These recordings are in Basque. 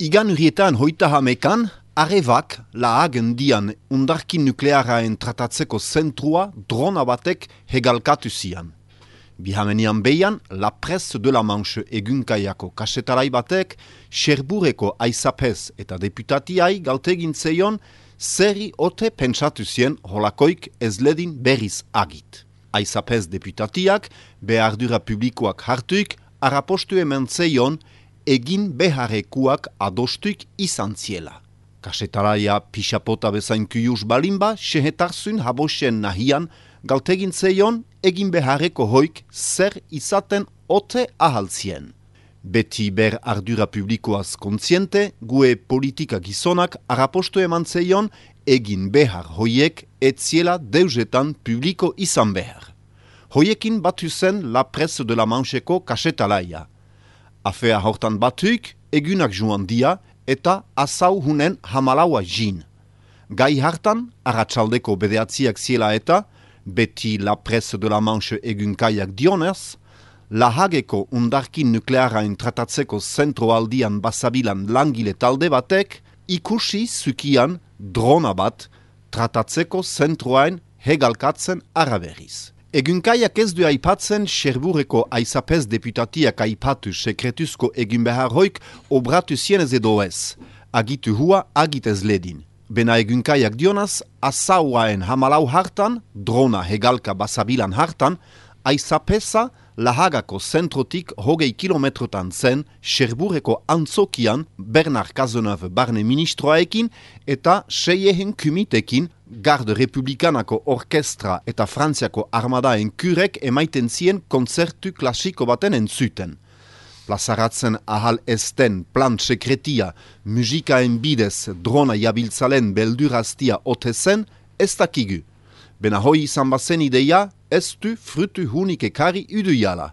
Igan urietan 31 Arevak lahagen dian undarkin nuklearaen tratatzeko zentrua drona batek hegalkatu zian. Bihamenian behian, La Presse de la Manche egunkaiako kasetarai batek, Cherbourgeko aizapez eta deputatiai galtegin zeion, zerri ote pentsatu zien holakoik ez ledin berriz agit. Aizapez deputatiak, behardura publikoak hartuik, arapostu eman zeion, egin beharrekuak adostuik izan ziela. Kasetaraia pixapota bezain kuyus balimba, sehetarzun habosen nahian, galtegin zeion, egin beharreko hoik zer izaten ote ahaltzien. Beti ber ardura publikoaz kontziente, gue politika gizonak arapostu eman zeion, egin behar hoiek etziela deuzetan publiko izan behar. Hoiekin batu zen La Presse de la Mancheko kasetalaia. Afea hortan batuik, egunak joan dia eta azau hunen hamalaua jin. Gai hartan, arratsaldeko bedeatziak ziela eta, beti La Presse de la Manche egunkaiak dionez, lahageko undarkin nuklearain tratatzeko zentroaldian basabilan langile talde batek, ikusi zukian drona bat tratatzeko zentroain hegalkatzen araberiz. Egunkaiak ez du aipatzen Cherbourgeko aizapez deputatiak aipatu sekretuzko egun behar hoik obratu zienez edo ez. Agitu hua agitez ledin. Bena egunkaiak dionaz, azauaen hamalau hartan, drona hegalka basabilan hartan, aizapeza lahagako zentrotik 20 kilometrotan zen Cherbourgeko antzokian Bernard Cazeneuve barne ministroaekin eta seiehen kumitekin Garde Republikanako Orkestra eta Frantziako Armadaen kurek emaiten zien konzertu klasiko baten entzuten. Plazaratzen ahal esten plan sekretia, musikaen bidez drona jabiltzalen belduraztia ote zen, ez dakigu. Bena hoi izan bazen ideia, ez du frutu hunik ekari uduiala.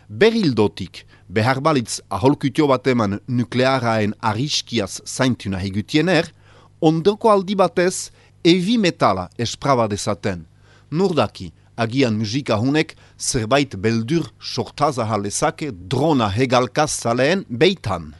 Berildotik, behar balitz aholkutio bateman nuklearaen ariskiaz zaintuna hegutiener, ondoko aldi batez, evi metala espraba dezaten. Nurdaki, agian musika hunek zerbait beldur sortazahal ezake drona hegalkaz zaleen beitan.